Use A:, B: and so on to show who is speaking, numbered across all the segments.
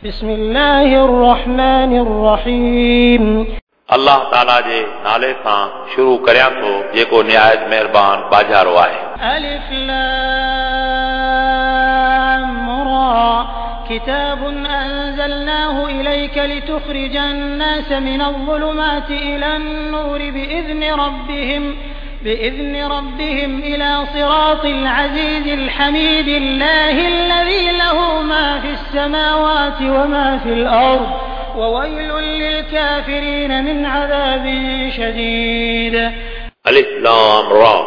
A: بسم الله الرحمن الرحيم.
B: الله تعاليٰ جي نالي سان شروع ڪريان ٿو جيڪو نهايت مهربان ٻاجهارو آهي.
A: الف لام را. كتاب أنزلناه إليك لتخرج الناس من الظلمات إلى النور بإذن ربهم إلى صراط العزيز الحميد الله الذي له ما في السماوات وما في الأرض وويل للكافرين من عذاب شديد.
B: الف لام را.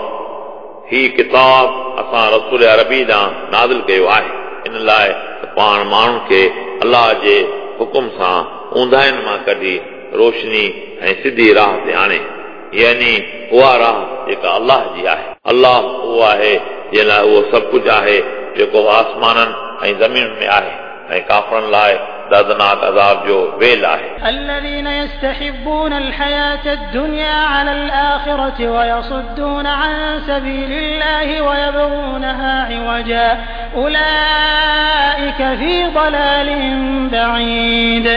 B: هي ڪتاب اسان رسول عربي ڏانهن نازل ڪيو آهي ان لاءِ ته پاڻ ماڻهن کي الله جي حڪم سان اونداهين مان ڪڍي روشني ۽ سڌي راهه تي آڻي، يعني اها راهه جيڪا الله جي آهي. الله اهو آهي جنهن لاءِ اهو سڀ ڪجهه آهي جيڪو آسمانن ۽ زمينن ۾ آهي ۽ ڪافرن لاءِ دردناڪ عذاب جو ويل آهي.
A: الذين يستحبون الحياة الدنيا على الآخرة ويصدون عن سبيل الله ويبغونها عوجا أولئك في ضلال بعيد.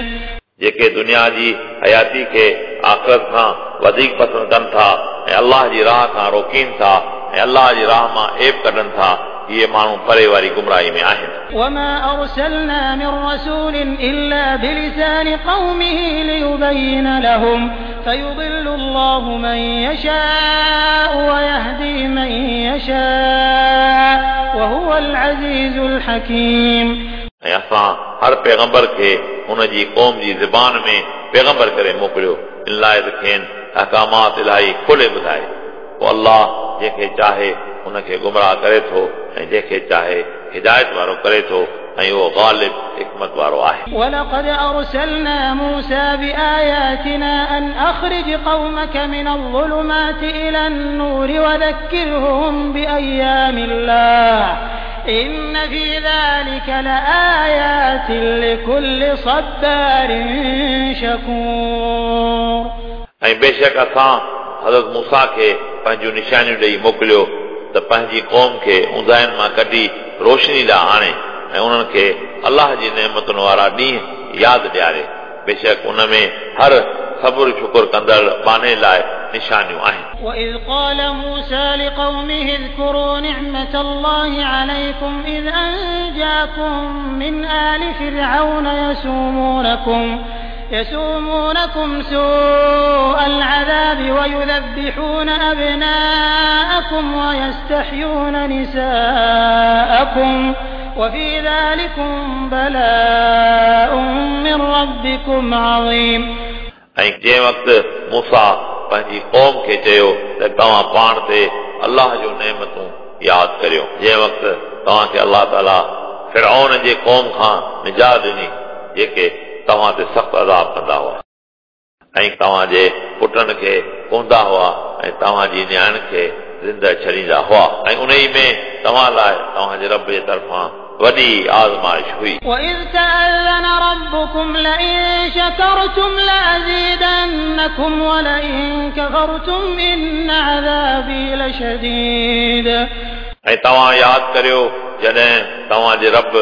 B: جيڪي دنيا جي حياتي کي آخرت کان وڌيڪ پسند ڪن ٿا ۽ الله جي راهه کان روڪين ٿا ۽ الله جي راهه مان عيب ڪڍن ٿا، اهي ماڻهو پري واري گمراهي ۾ آهن.
A: وما أرسلنا من رسول إلا بلسان قومه ليبين لهم فيضل الله من يشاء ويهدي من يشاء وهو العزيز الحكيم.
B: ۽ اسان هر پيغمبر کي هن جي قوم جي زبان ۾ پيغمبر ڪري موڪليو ان لاءِ ته کين احڪامات الاهي کولي ٻڌائي. پوءِ الله جنهن کي چاهي هن کي گمراهه ڪري ٿو ۽ جنهن کي چاهي هدايت وارو ڪري ٿو ۽ اهو غالب حڪمت وارو آهي.
A: ولقد أرسلنا موسى بآياتنا أن أخرج قومك من الظلمات إلى النور وذكرهم بأيام الله إن في ذلك لآيات لكل صبار شكور.
B: ऐं बेशक असां हज़रत मूसा खे पंहिंजूं निशानियूं ॾेई मोकिलियो त पंहिंजी क़ौम खे ऊंदाहियुनि मां कढी रोशनी ॾांहुं आणे ऐं उन्हनि खे अलाह जी नेमतुनि वारा ॾींहं यादि ॾियारे। बेशक उन में हर सब्र शुक्र कंदड़ बाने लाइ निशानियूं आहिनि।
A: وإذ قال موسى لقومه اذكروا نعمة الله عليكم إذ أنجاكم من آل فرعون يسومونكم سوء العذاب ويذبحون أبناءكم ويستحيون نساءكم وفي ذلكم بلاء من ربكم عظيم.
B: ऐं जंहिं वक़्तु मूसा पंहिंजी क़ौम खे चयो त तव्हां पाण ते अलाह जूं नेमतूं यादि करियो, जंहिं वक़्तु तव्हांखे अलाह ताला फिरऔन जे क़ौम खां निजात ॾिनी जेके तव्हां ते सख़्तु अज़ाब कंदा हुआ ऐं तव्हांजे पुटनि खे कोंदा हुआ ऐं तव्हांजी नियाणियुनि खे ज़िंदा छॾींदा हुआ ऐं उन ई में तव्हां लाइ तव्हांजे रब जे तरफ़ां वॾी आज़माइश हुई।
A: وإذ تأذن ربكم لئن شكرتم لأزيدنكم ولئن كفرتم إن عذابي لشديد.
B: ऐं तव्हां यादि करियो जॾहिं तव्हांजे रब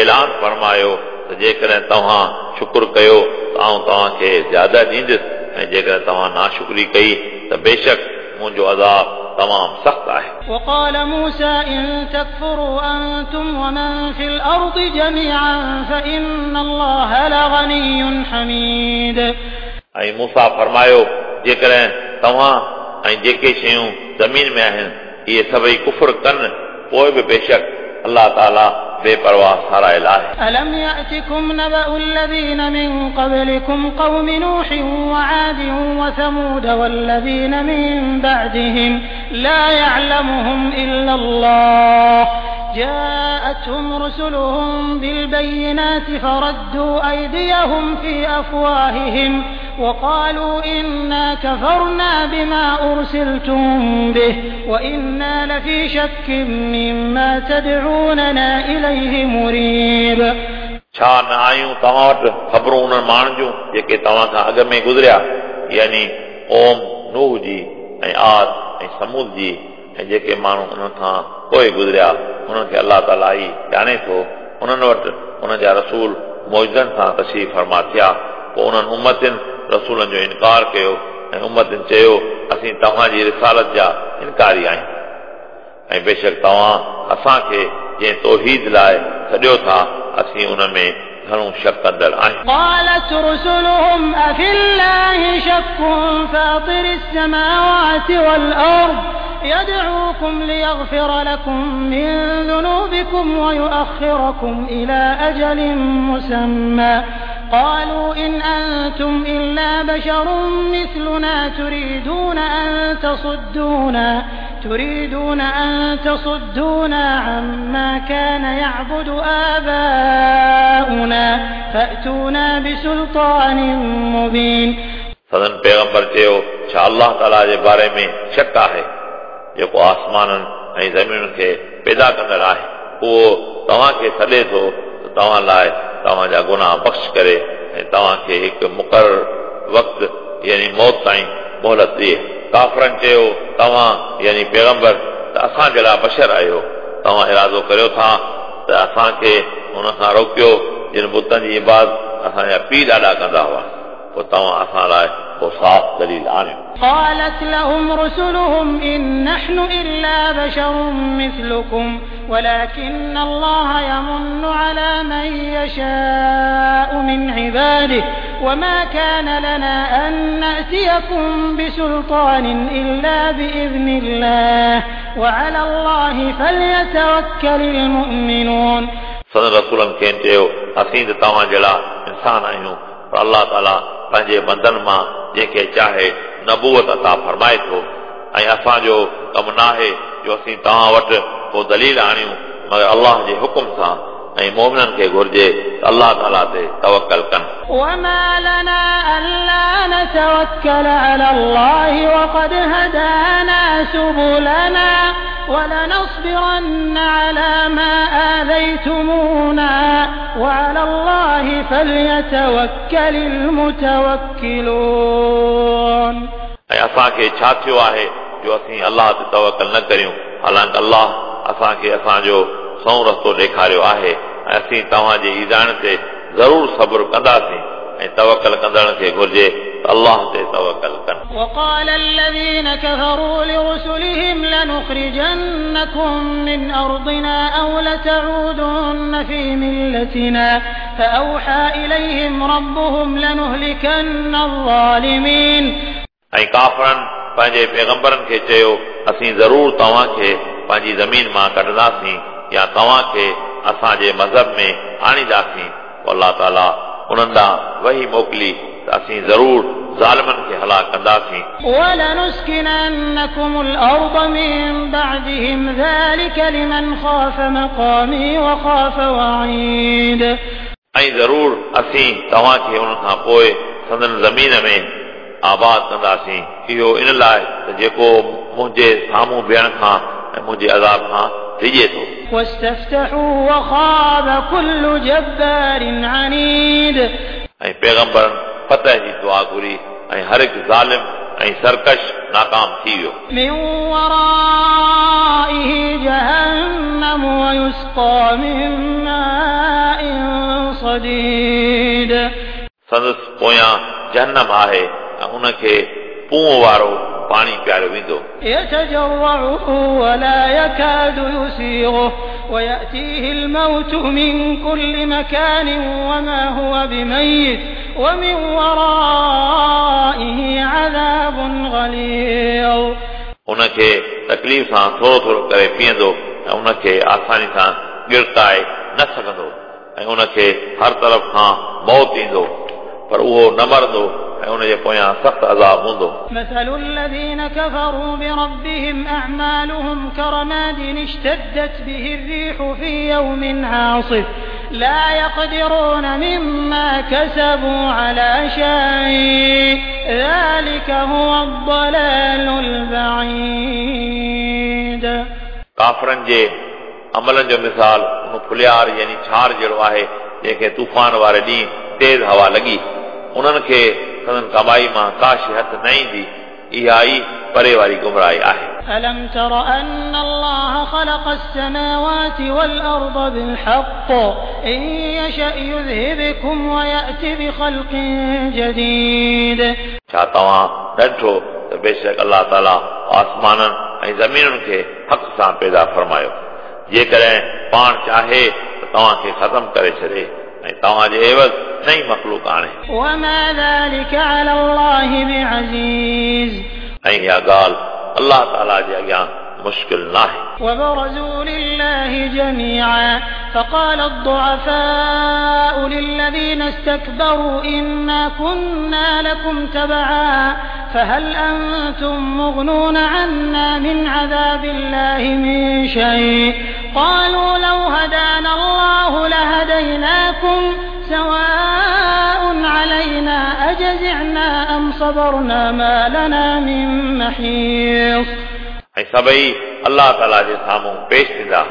B: ऐलान फरमायो त जेकॾहिं तव्हां शुक्र कयो त आउं तव्हांखे ज़्यादा ॾींदुसि ऐं जेकॾहिं तव्हां नाशुक्री कई त बेशक मुंहिंजो अज़ाब तमामु सख़्तु आहे।
A: وقال موسى إن تكفروا أنتم ومن في الأرض جميعا فإن الله لغني حميد.
B: ऐं मूसा फरमायो जेकॾहिं तव्हां ऐं जेके शयूं ज़मीन में आहिनि इहे सभई कुफर कनि पोइ बि बेशक अलाह ताला बेपरवाह सारायल आहे।
A: ألم يأتكم نبأ الذين من قبلكم قوم نوح وعاد وثمود والذين من بعدهم لا يعلمهم إلا الله جاءتهم رسلهم بالبينات فردوا أيديهم في أفواههم وقالوا إنا كفرنا بما أرسلتم به وإنا لفي شك مما تدعوننا إليه مريب.
B: छा न आयूं तव्हां वटि ख़बरूं उन्हनि माण्हुनि जूं जेके तव्हां खां अॻु में गुज़रिया, यानी क़ौम नूह जी ऐं आद ऐं समूद जी ऐं जेके माण्हू उन्हनि खां पोइ गुज़रिया उन्हनि खे अलाह ताला ई ॼाणे थो। उन्हनि वटि उन जा रसूल मुइज़नि सां तशरीफ़ फरमा थिया, पोइ उन्हनि उम्मतियुनि रसूलनि जो इनकार कयो ऐं उम्मतियुनि चयो असीं तव्हांजी रिसालत जा इनकारी आहियूं ऐं बेशक तव्हां असांखे जंहिं तौहीद लाइ सॾियो था असीं उन में घणो शक कंदड़ आहियूं।
A: قالت رسلهم أفي الله شك فاطر السماوات والأرض يدعوكم ليغفر لكم من ذنوبكم ويؤخركم إلى أجل مسمى قالوا إن أنتم إلا بشر مثلنا تريدون أن تصدونا عما كان يعبد آباؤنا فأتونا بسلطان مبين।
B: सदन पैगंबर चयो छा अल्लाह ताला जे बारे में शक आहे जेको आसमाननि ऐं ज़मीनुनि खे पैदा कंदड़ आहे, उहो तव्हांखे सॾे थो त तव्हां लाइ तव्हांजा गुनाह बख़्श करे ऐं तव्हांखे हिकु मुक़ररु वक़्तु यानी मौत ताईं मोहलत ॾिए। काफ़रनि चयो तव्हां यानी पैगंबर त असां जहिड़ा बशर आहियो, तव्हां इरादो करियो था त असांखे हुन खां रोकियो जिन बुतनि जी इबादत असांजा पीउ ॾाॾा कंदा हुआ, पोइ तव्हां असां लाइ को साफ़ दलील आणियो।
A: قالت لهم رسلهم إن نحن إلا بشر مثلكم ولكن الله يمن على من يشاء من عباده وما كان لنا أن نأتيكم بسلطان إلا بإذن الله وعلى الله فليتوكل المؤمنون।
B: सदन रसूलनि खेनि चयो असीं त तव्हां जहिड़ा इंसान आहियूं, पर अलाह ताला पंहिंजे बंदनि मां जंहिंखे चाहे नबूवत अता फरमाए थो ऐं असांजो कमु नाहे जो असीं तव्हां वटि को दलील आणियूं मगर अल्लाह जे हुकुम सां, ऐं मोमिननि खे घुर्जे त अल्लाह ताला ते तवकल कनि।
A: وما لنا ألا نتوكل على الله وقد هدانا سبلنا ولنصبرن على ما آذيتمونا وعلى الله فليتوكل المتوكلون।
B: ऐं असांखे छा थियो आहे जो असीं अल्लाह ते तवकल न करियूं, हालांकि अल्लाह असांखे असांजो सओं रस्तो ॾेखारियो आहे ऐं असीं तव्हांजे ईज़ाइण ते ज़रूरु सब्र कंदासीं ऐं तवकल कंदड़ खे घुर्जे त अल्लाह ते तवकल कनि।
A: وقال الذين كفروا لرسلهم لنخرجنكم من أرضنا أو لتعودن في ملتنا فأوحى إليهم ربهم لنهلكن الظالمين।
B: ऐं काफ़रनि पंहिंजे पैगंबरनि खे चयो असीं ज़रूर तव्हांखे पंहिंजी ज़मीन मां कढंदासीं या तव्हांखे असांजे मज़हब में आणींदासीं। पोइ अलाह ताला उन्हनि ॾांहुं वही मोकिली त असीं ज़रूर ज़ालिमनि खे हलाक कंदासीं।
A: ولنسكننكم الأرض من بعدهم ذلك لمن خاف مقامي وخاف وعيد।
B: ऐं ज़रूर असीं तव्हांखे उन्हनि खां पोइ संदन ज़मीन में आबाद कंदासीं, इहो इन लाइ त जेको मुंहिंजे साम्हूं बीहण खां ऐं मुंहिंजे अज़ाब खां डिॼे थो।
A: واستفتحوا وخاب كل جبار عنيد।
B: ऐं पैगंबरनि फतह जी दुआ घुरी ऐं हर हिकु ज़ालिम ऐं सरकश नाकाम थी वियो।
A: من ورائه جهنم ويسقى من ماء صديد।
B: संदसि पोयां जहन्नम आहे ऐं उनखे पूं वारो पाणी पीआरियो वेंदो।
A: يتجرعه ولا يكاد يسيغه ويأتيه الموت من كل مكان وما هو بميت ومن ورائه عذاب غليظ।
B: उनखे तकलीफ़ सां थोरो थोरो करे पीअंदो ऐं उनखे आसानी सां गिड़काए न सघंदो ऐं उनखे हर तरफ़ खां मौत ईंदो पर उहो न मरंदो ऐं उनजे पोयां सख़्तु अज़ाब हूंदो।
A: مثل الذين كفروا بربهم أعمالهم كرماد اشتدت به الريح في يوم عاصف لا يقدرون مما كسبوا على شيء ذلك هو الضلال البعيد।
B: काफ़रनि जे अमलनि जो मिसाल उन फुलियार यानी छार जहिड़ो आहे जंहिंखे तूफ़ान वारे ॾींहुं तेज़ हवा लॻी, उन्हनि खे संदन कमाई मां का शइ हथु न ईंदी, इहा ई परे वारी गुमराही आहे।
A: ألم تر أن الله خلق السماوات والأرض بالحق إن يشأ يذهبكم ويأت بخلق جديد.
B: छा तव्हां न ॾिठो त बेशक अलाह ताला आसमाननि ऐं ज़मीनुनि खे हक़ सां पैदा फरमायो, जेकॾहिं पाण चाहे त तव्हांखे ख़तमु करे छॾे ऐं तव्हांजे एवज़ नई मख़लूक आणे।
A: وما ذلك على الله بعزيز.
B: ऐं इहा ॻाल्हि अलाह ताला जे अॻियां मुश्किल नाहे।
A: وبرزوا لله جميعا فقال الضعفاء للذين استكبروا إنا كنا لكم تبعا فهل أنتم مغنون عنا من عذاب الله من شيء قالوا لو هدانا الله لهديناكم سواء علينا أجزعنا أم صبرنا ما لنا من محيص.
B: ऐं सभई अलाह ताला जे साम्हूं पेश थींदा,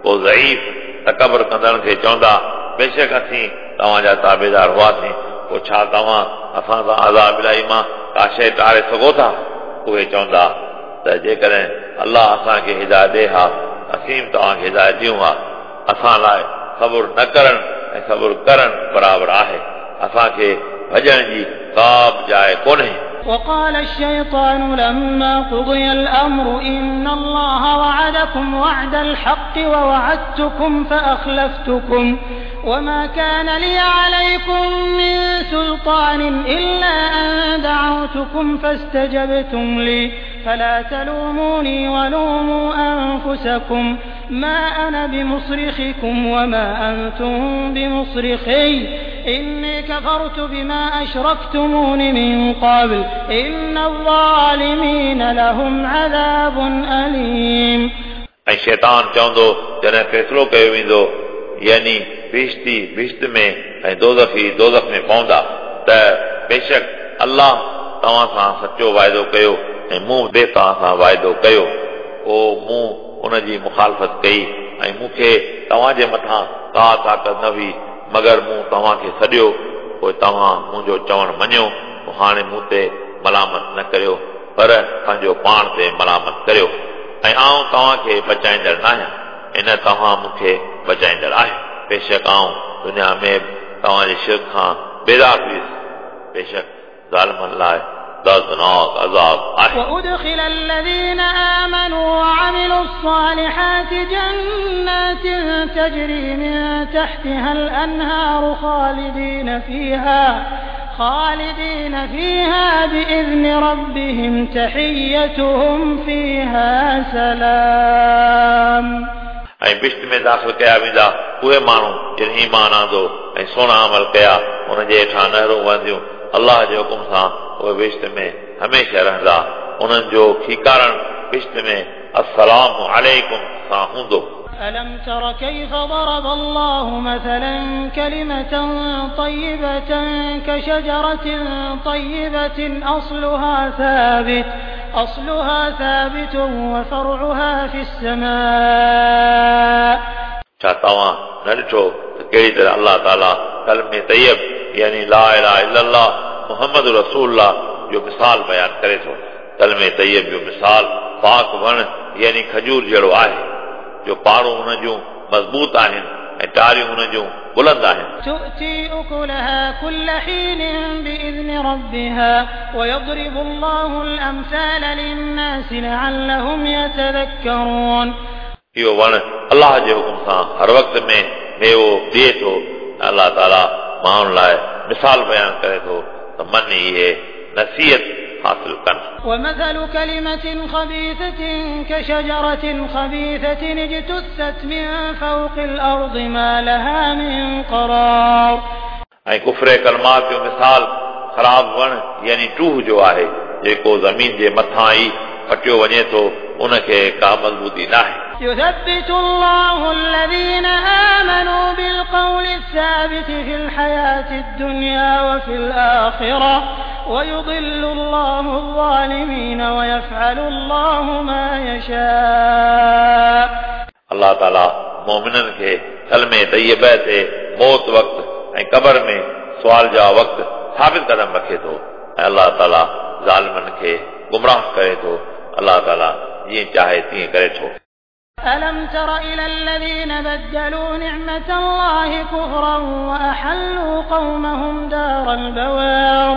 B: पोइ ज़ईफ़ तकबर कंदड़नि खे चवंदा बेशक असीं तव्हांजा ताबेदार हुआसीं, पोइ छा तव्हां असां सां अज़ाब इलाही मां का शइ टारे सघो था? उहे चवंदा त जेकॾहिं अलाह असांखे हिदायत ॾिए हा असीं बि तव्हांखे हिदायत ॾियूं हा। असां लाइ सब्र न करणु ऐं सब्र करणु बराबरि आहे, असांखे भॼण जी का बि जाइ कोन्हे।
A: وقال الشيطان لما قضي الأمر إن الله وعدكم وعد الحق ووعدتكم فأخلفتكم وما كان لي عليكم من سلطان إلا أن دعوتكم فاستجبتم لي فلا تلوموني ولوموا أنفسكم ما أنا بمصرخكم وما أنتم بمصرخي إني كفرت بما أشركتمون من قبل إن الظالمين لهم عذاب أليم.
B: ऐं शैतान चवंदो जॾहिं फ़ैसिलो कयो वेंदो, यानी बिश्ती बिश्त में ऐं दोज़खी दोज़ख में पवंदा, त बेशक अलाह तव्हां सां सचो वाइदो कयो ऐं मूं बि तव्हां सां वाइदो कयो, पोइ मूं उनजी मुखालफ़त कई ऐं मूंखे तव्हांजे मथां का ताक़त न हुई, मगर मूं तव्हांखे सॾियो, पोइ तव्हां मुंहिंजो चवणु मञियो, पोइ हाणे मूं ते मलामत न करियो, पर पंहिंजो पाण ते मलामत करियो, ऐं आउं तव्हांखे बचाईंदड़ न आहियां ऐं न तव्हां मूंखे बचाईंदड़ आहियो। बेशक आउं दुनिया में तव्हांजे शिरक खां बेदार हुयुसि, बेशक ज़ालिमनि लाइ दर्दनाक अज़ाब आहे।
A: وأدخل الذين آمنوا وعملوا الصالحات جنات تجري من تحتها الأنهار خالدين فيها بإذن ربهم تحيتهم فيها سلام.
B: ऐं बिश्त में दाख़िल कया वेंदा उहे माण्हू जिन ईमान आंदो ऐं सुहिणा अमल कया, उन्हनि जे हेठां नहरूं वहंदियूं, अलाह जे हुकुम सां उहे बिश्त में हमेशह रहंदा, उन्हनि जो खीकारण बिश्त में अस्सलाम अलैकुम सां हूंदो।
A: ألم تر كيف ضرب الله مثلا كلمة طيبة كشجرة طيبة أصلها ثابت وفرعها في السماء.
B: छा तव्हां न ॾिठो त कहिड़ी तरह अलाह ताला कलमे तैयब यानी ला इलाहा इल्लल्लाह मोहम्मद रसूलुल्लाह जो मिसाल बयान करे थो। कलमे तैयब जो मिसाल पाक वण यानी खजूर जहिड़ो आहे, जो पाड़ूं हुन जूं मज़बूत आहिनि ऐं टारियूं हुन जूं बुलंद आहिनि।
A: تؤتي أكلها كل حين بإذن ربها ويضرب الله الأمثال للناس لعلهم يتذكرون.
B: इहो वण अलाह जे हुकुम सां हर वक़्त में मेवो ॾिए थो। अलाह ताला माण्हुनि लाइ मिसाल बयान करे थो त मन इहे नसीहत हासिल कनि।
A: ومثل كلمة خبيثة كشجرة خبيثة اجتثت من فوق الأرض ما لها من قرار.
B: ऐं कुफरे कलमात जो मिसाल ख़राब वण यानी टूह जो आहे, जेको ज़मीन जे मथां ई पटियो वञे थो, उनखे का मज़बूती न आहे।
A: يثبت الله الذين آمنوا بالقول الثابت في الحياة الدنيا وفي الآخرة ويضل الله الظالمين ويفعل الله ما يشاء.
B: अलाह ताला मोमिननि खे कलमे तैयबा ते मौत वक़्तु ऐं क़बर में सुवाल जवाब वक़्तु साबित कदम रखे थो ऐं अलाह ताला ज़ालिमनि खे गुमराह करे थो। अलाह ताला जीअं चाहे तीअं करे थो।
A: ألم تر إلى الذين بدلوا نعمة الله كفرا وأحلوا قومهم دار البوار।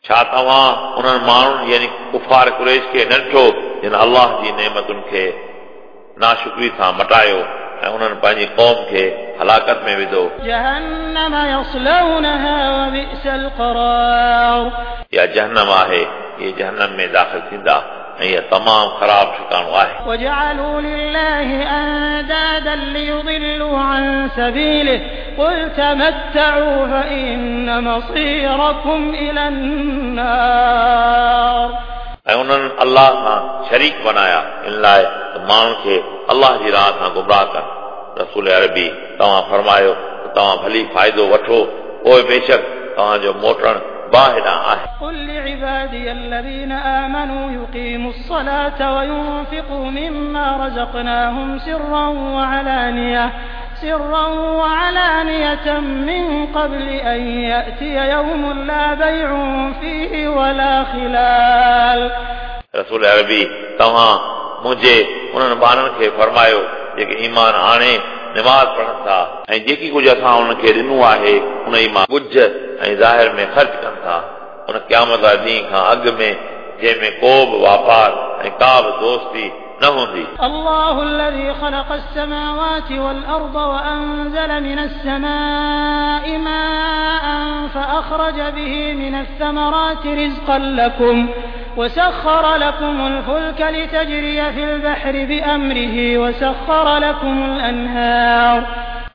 B: छा तव्हां उन्हनि माण्हुनि यानी कुफार कुरैश खे न ॾिठो जिन अल्लाह जी नेमतुनि खे नाशुक्री सां मटायो ऐं उन्हनि पंहिंजी क़ौम खे हलाकत में विधो।
A: جهنم يصلونها وبئس القرار।
B: या जहन्नम आहे, इहे जहन्नम में दाख़िल थींदा ऐं इहा तमामु ख़राबु ठिकाणो आहे।
A: وجعلوا لله أندادا ليضلوا عن سبيله قل تمتعوا فإن مصيركم إلى النار।
B: ऐं उन्हनि अल्लाह सां शरीक बनाया इन लाइ त माण्हुनि खे अल्लाह जी राह खां गुमराह कनि। रसूल अरबी तव्हां फरमायो त तव्हां भली फ़ाइदो वठो, पोइ बेशक तव्हांजो मोटणु बाहि ॾांहुं आहे।
A: قل لعبادي الذين آمنوا يقيموا الصلاة وينفقوا مما رزقناهم سرا وعلانية من قبل أن يأتي يوم لا بيع فيه ولا خلال।
B: रसूल अरबी तव्हां मुंहिंजे उन्हनि ॿारनि खे फरमायो जेके ईमान आणे नमाज़ पढ़नि था ऐं जेकी कुझु असां उन्हनि खे ॾिनो आहे उन ई मां ॻुझ ऐं ज़ाहिर में ख़र्च कनि था, उन क़यामत वारे ॾींहं खां अॻु में जंहिंमें को बि वापार ऐं का बि दोस्ती न हूंदी।
A: الله الذي خلق السماوات والأرض وأنزل من السماء ماء فأخرج به من الثمرات رزقا لكم وسخر لكم الفلك لتجري في البحر بأمره وسخر لكم الأنهار।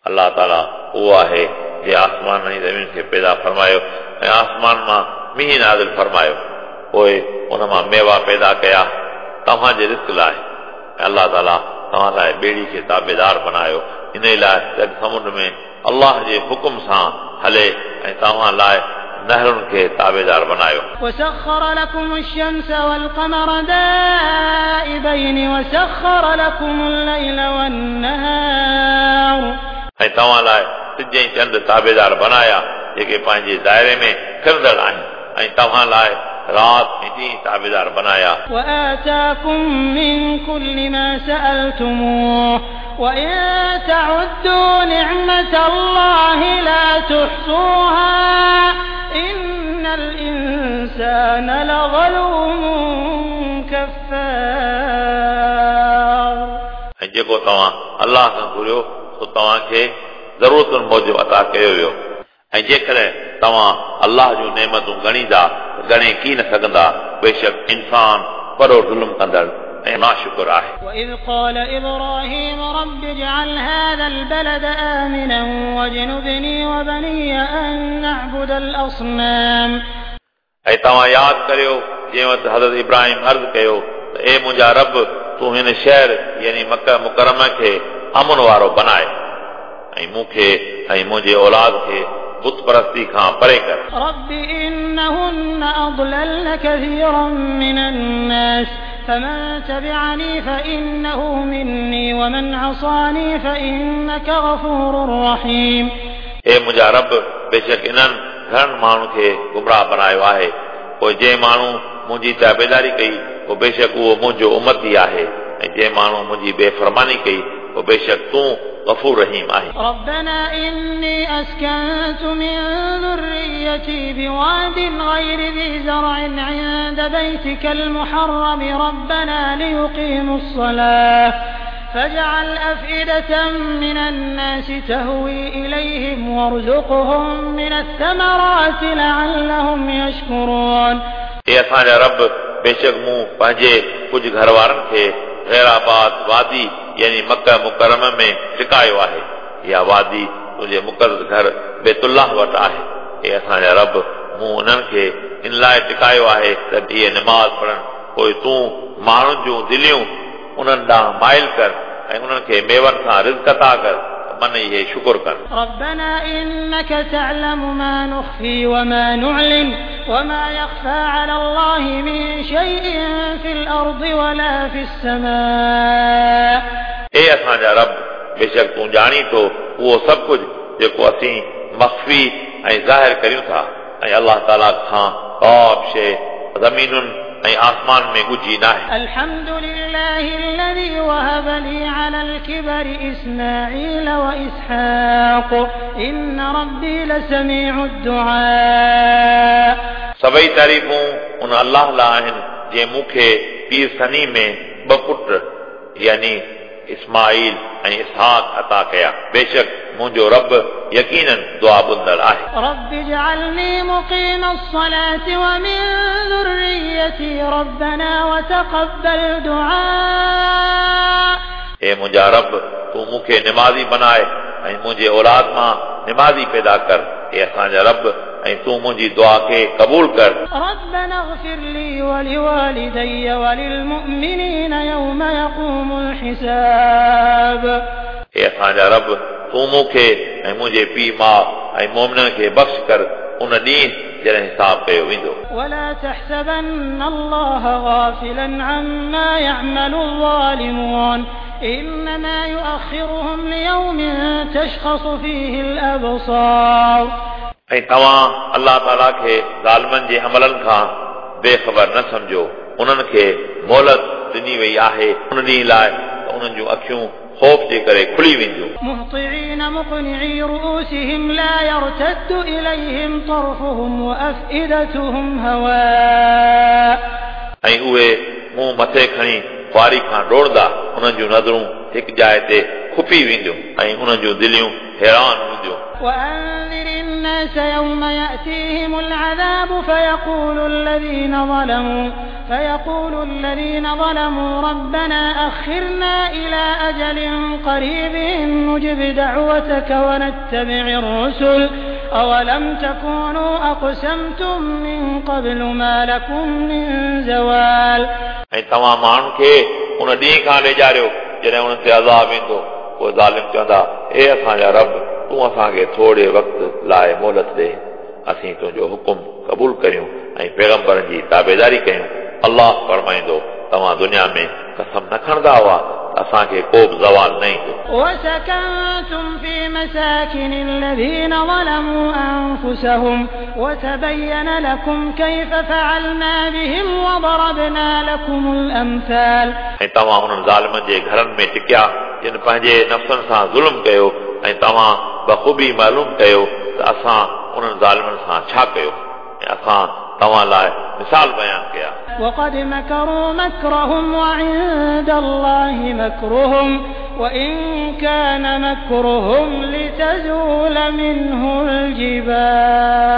B: अल्लाह ताला उहो आहे जे आसमान ऐं ज़मीन खे पैदा फरमायो ऐं आसमान मां मींहुं नाज़िल फरमायो, पोइ उन मां मेवा पैदा कया तव्हांजे रिस्क लाइ। ऐं अल्लाह ताला तव्हां लाइ ॿेड़ी खे ताबेदार बनायो इन लाइ त समुंड में अल्लाह जे हुकुम सां हले ऐं तव्हां लाइ नहरुनि खे ताबेदार बनायो।
A: وسخر لكم الشمس والقمر دائبين وسخر لكم الليل والنهار।
B: ऐं तव्हां लाइ सिज ऐं चंड ताबेदार बनाया जेके पंहिंजे दायरे में फिरंदड़ आहिनि ऐं तव्हां लाइ राति ऐं ॾींहुं ताबेदार बनाया।
A: وآتاكم من كل ما سألتموه وإن تعدوا نعمة الله لا تحصوها إن الإنسان لظلوم كفار।
B: ऐं जेको तव्हां अल्लाह खां घुरियो सो तव्हांखे ज़रूरतुनि मूजिबि अता कयो वियो, ऐं जेकॾहिं तव्हां अल्लाह जूं नेमतूं ॻणींदा त ॻणे की न सघंदा। बेशक इंसान वॾो ज़ुल्म कंदड़ ऐं नाशुक्र आहे।
A: وإذ قال إبراهيم رب اجعل هذا البلد آمنا واجنبني وبني أن نعبد الأصنام।
B: ऐं तव्हां यादि करियो जंहिं वक़्तु हज़रत इब्राहिम अर्ज़ु कयो त ए मुंहिंजा रब, तूं हिन शहर यानी मक्का मुकर्रमा खे अमन वारो बनाए ऐं मूंखे ऐं मुंहिंजे औलाद खे बुत परस्ती खां परे कर।
A: رب إنهن أضللن كثيرا من الناس فمن تبعني فإنه مني ومن عصاني فإنك غفور رحيم।
B: ए मुंहिंजा रब, बेशक इन्हनि घणनि माण्हुनि खे गुमराह बनायो आहे, पोइ जंहिं माण्हू मुंहिंजी ताबेदारी कई पोइ बेशक उहो मुंहिंजो उमती आहे, ऐं जंहिं माण्हू मुंहिंजी बेफरमानी कई पोइ बेशक तूं गफ़ूर रहीम आहीं।
A: ربنا إني أسكنت من ذريتي بواد غير ذي زرع عند بيتك المحرم ربنا ليقيموا الصلاة فاجعل أفئدة من الناس تهوي إليهم وارزقهم من الثمرات لعلهم يشكرون।
B: ए असांजा रब, बेशक मूं पंहिंजे कुझु घर वारनि खे ग़ैराबाद वादी यानी मक्का मुकर्रमा में टिकायो आहे। इहा वादी तुंहिंजे मुक़दस घर बैतुल्लाह वटि आहे। ए असांजा रब, मूं उन्हनि खे इन लाइ टिकायो आहे त इहे नमाज़ पढ़नि, पोइ तूं माण्हुनि जूं दिलियूं उन्हनि ॾांहुं माइल कर ऐं उन्हनि खे मेवनि सां रिज़्क अता कर, मन इहे शुक्र कनि।
A: ربنا إنك تعلم ما نخفي وما نعلن وما يخفى على الله من شيء في الأرض ولا في السماء।
B: ए असांजा रब, बेशक तूं ॼाणी थो उहो सभु कुझु जेको असीं मख़फ़ी ऐं ज़ाहिर करियूं था, ऐं अल्लाह ताला खां का बि शइ ज़मीनुनि ऐं आसमान में ॻुझी नाहे।
A: الحمد لله الذي وهب لي على الكبر إسماعيل وإسحاق إن ربي لسميع الدعاء।
B: सभई तारीफ़ूं उन अल्लाह लाइ आहिनि जंहिं मूंखे पीर सनी में ॿ पुट यानी इस्माइल ऐं इसहाक अता कया। बेशक मुंहिंजो रब यकीनन दुआ ॿुधंदड़ आहे।
A: رب اجعلني مقيم الصلاة ومن ذريتي ربنا وتقبل دعاء।
B: हे मुंहिंजा रब, तूं मूंखे निमाज़ी बनाए ऐं मुंहिंजे औलाद मां निमाज़ी पैदा कर। हे असांजा रब, ऐं तूं मुंहिंजी दुआ खे क़बूल कर।
A: ربنا اغفر لي ولوالدي وللمؤمنين يوم يقوم الحساب।
B: हे असांजा रब, तूं मूंखे ऐं मुंहिंजे पीउ माउ ऐं मोमिननि खे बख़्श कर उन ॾींहुं जॾहिं हिसाब कयो वेंदो।
A: ولا تحسبن الله غافلا عما يعمل الظالمون إنما يؤخرهم ليوم تشخص فيه الأبصار।
B: ऐं तव्हां अलाह ताला खे ज़ालिमनि जे अमलनि खां बेख़बर न सम्झो। उन्हनि खे मोहलत ॾिनी वई आहे उन ॾींहुं लाइ त उन्हनि जूं अखियूं ख़ौफ़ जे करे खुली वेंदियूं।
A: مهطعين مقنعي رؤوسهم لا يرتد إليهم طرفهم وأفئدتهم هواء।
B: ऐं उहे मुंहुं मथे खणी ख़्वारी खां डोड़ंदा, उन्हनि जूं नज़रूं हिकु जाइ ते खुपी वेंदियूं ऐं उन्हनि जूं दिलियूं हैरान हूंदियूं।
A: وأنذر الناس يوم يأتيهم العذاب فيقول الذين ظلموا ربنا أخرنا إلى أجل قريب نجب دعوتك ونتبع الرسل أولم تكونوا أقسمتم من قبل ما لكم من زوال।
B: ऐं तव्हां माण्हुनि खे उन ॾींहुं खां ॾेजारियो जॾहिं उन्हनि ते अज़ाब ईंदो, पोइ ज़ालिम चवंदा, हे असांजा रब, तूं असांखे थोरे वक़्त लाइ मोहलत ॾे, असीं तुंहिंजो हुकुम क़बूल करियूं ऐं पैगंबरनि जी ताबेदारी कयूं। अलाह फरमाईंदो, तव्हां दुनिया में कसम न खणंदा हुआ त असांखे को बि ज़वाल न ईंदो।
A: وسكنتم في مساكن الذين ظلموا أنفسهم وتبين لكم كيف فعلنا بهم وضربنا لكم الأمثال।
B: ऐं तव्हां उन्हनि ज़ालिमनि जे घरनि में टिकिया जिन पंहिंजे नफ़्सनि सां ज़ुल्म कयो ऐं तव्हां बख़ूबी मालूम कयो त असां उन्हनि ज़ालिमनि सां छा कयो ऐं असां तव्हां लाइ मिसाल बयानु कया।
A: وقد مكروا مكرهم وعند الله مكرهم وإن كان مكرهم لتزول منه الجبال।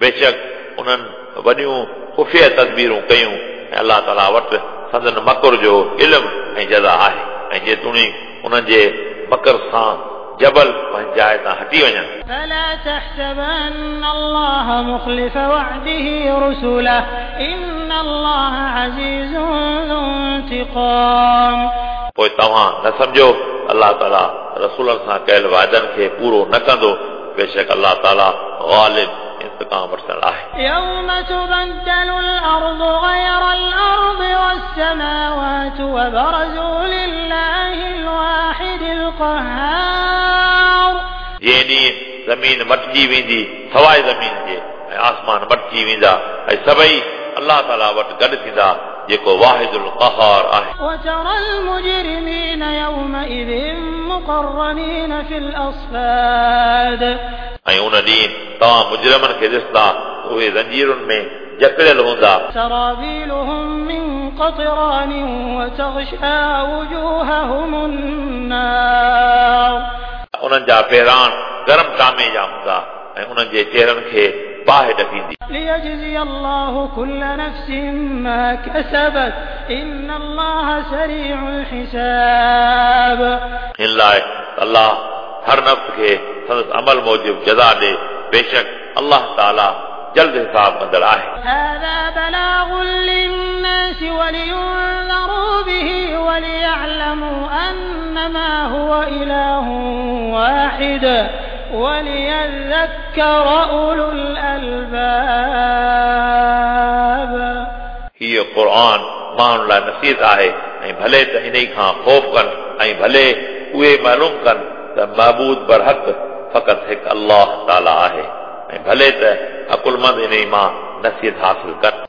B: बेशक उन्हनि वॾियूं ख़ुफ़िया तदबीरूं कयूं ऐं अलाह ताला वटि संदन मकर जो इल्मु ऐं जज़ा आहे ऐं जेतोणीकि उन्हनि जे मकर सां जबल पंहिंजी जाइ तां हटी वञनि।
A: فلا تحسبن الله مخلف وعده رسله إن الله عزيز ذو انتقام।
B: पोइ तव्हां न सम्झो अलाह ताला रसूलनि सां कयल वाइदनि खे पूरो न कंदो। बेशक अलाह ताला ग़ालिब इंतक़ाम वठंदड़ आहे।
A: يوم تبدل الأرض غير الأرض والسماوات وبرزوا لله الواحد القهار।
B: जंहिं ॾींहुं ज़मीन मटिजी वेंदी सवाइ ज़मीन जे ऐं आसमान मटिजी वेंदा ऐं सभई अलाह ताला वटि गॾु थींदा जेको वाहिदुल क़हार आहे।
A: وترى المجرمين يومئذ مقرنين في الأصفاد।
B: ऐं उन ॾींहुं तव्हां मुजरिमनि खे ॾिसंदा उहे ज़ंजीरुनि में जकड़ियल हूंदा।
A: سرابيلهم من قطران وتغشى وجوههم النار।
B: उन्हनि जा पहिराण गरम टामे जा हूंदा ऐं उन्हनि जे चेहरनि खे बाहि ॾकींदी।
A: ليجزي الله كل نفس ما كسبت إن الله سريع الحساب।
B: हिन लाइ अलाह हर नफ़्स खे संदसि अमल मूजिबि जज़ा ॾे। बेशक अलाह ताला जल्द हिसाब कंदड़ आहे।
A: هذا بلاغ للناس ولينذروا به وليعلموا أنما هو إله واحد وليذكر أولو الألباب।
B: हीउ क़ुर माण्हुनि लाइ नसीहत आहे ऐं भले त इन खां ख़ौफ़ कनि ऐं भले उहे मालूम कनि त महबूद बरहक़ फ़क़ति हिकु अलाह ताला आहे ऐं भले त अकुलमंद इन मां नसीहत हासिल कनि।